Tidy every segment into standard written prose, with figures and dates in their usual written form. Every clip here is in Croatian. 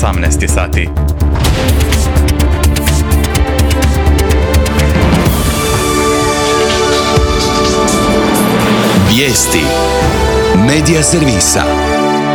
18 sati. Vijesti Medija servisa.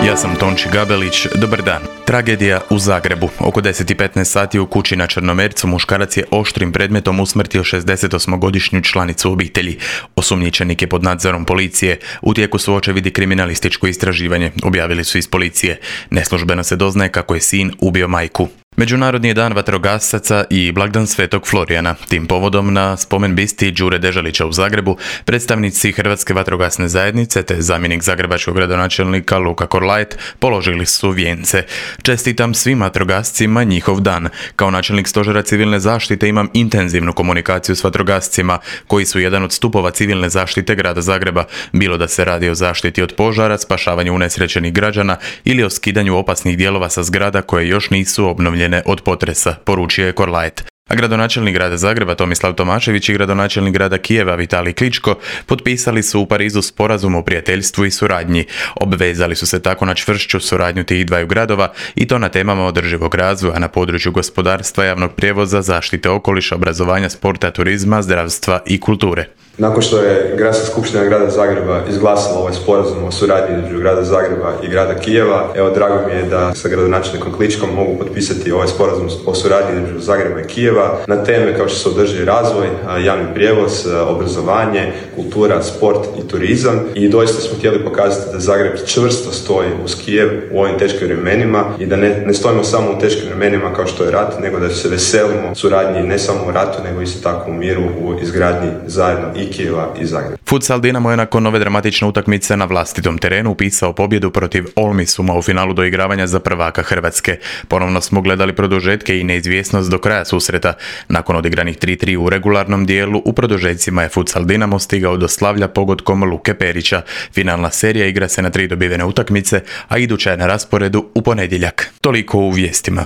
Ja sam Tonči Gabelić, dobar dan. Tragedija u Zagrebu. Oko 10:15 sati u kući na Črnomercu muškarac je oštrim predmetom usmrtio 68-godišnju članicu obitelji. Osumnjičenik je pod nadzorom policije. U tijeku su očevidi kriminalističko istraživanje, objavili su iz policije. Neslužbeno se doznaje kako je sin ubio majku. Međunarodni je dan vatrogasaca i blagdan Svetog Florijana. Tim povodom na spomen bisti Đure Deželića u Zagrebu predstavnici Hrvatske vatrogasne zajednice te zamjenik zagrebačkog gradonačelnika Luka Korlajt položili su vijence. Čestitam svim vatrogascima njihov dan. Kao načelnik stožera civilne zaštite imam intenzivnu komunikaciju s vatrogascima koji su jedan od stupova civilne zaštite grada Zagreba, bilo da se radi o zaštiti od požara, spašavanju unesrećenih građana ili o skidanju opasnih dijelova sa zgrada koje još nisu obnovljene od potresa, poručio je Korlajt. A gradonačelnik grada Zagreba Tomislav Tomašević i gradonačelnik grada Kijeva Vitalij Kličko potpisali su u Parizu sporazum o prijateljstvu i suradnji. Obvezali su se tako na čvršću suradnju tih dvaju gradova i to na temama održivog razvoja na području gospodarstva, javnog prijevoza, zaštite okoliša, obrazovanja, sporta, turizma, zdravstva i kulture. Nakon što je Gradska skupština grada Zagreba izglasala ovaj sporazum o suradnji između grada Zagreba i grada Kijeva, drago mi je da sa gradonačelnikom Kličkom mogu potpisati ovaj sporazum o suradnji između Zagreba i Kijeva na teme kao što su održivi razvoj, javni prijevoz, obrazovanje, kultura, sport i turizam. I doista smo htjeli pokazati da Zagreb čvrsto stoji uz Kijev u ovim teškim vremenima i da ne stojimo samo u teškim vremenima kao što je rat, nego da se veselimo suradnji ne samo u ratu, nego isto tako u miru u izgradnji zajedno i Kijeva i Zagreba. Futsal Dinamo je nakon ove dramatične utakmice na vlastitom terenu upisao pobjedu protiv Olmisuma u finalu doigravanja za prvaka Hrvatske. Ponovno smo gledali produžetke i neizvjesnost do kraja susreta. Nakon odigranih 3-3 u regularnom dijelu, u produžecima je Futsal Dinamo stigao do slavlja pogodkom Luke Perića. Finalna serija igra se na 3 dobivene utakmice, a iduća je na rasporedu u ponedjeljak. Toliko u vijestima.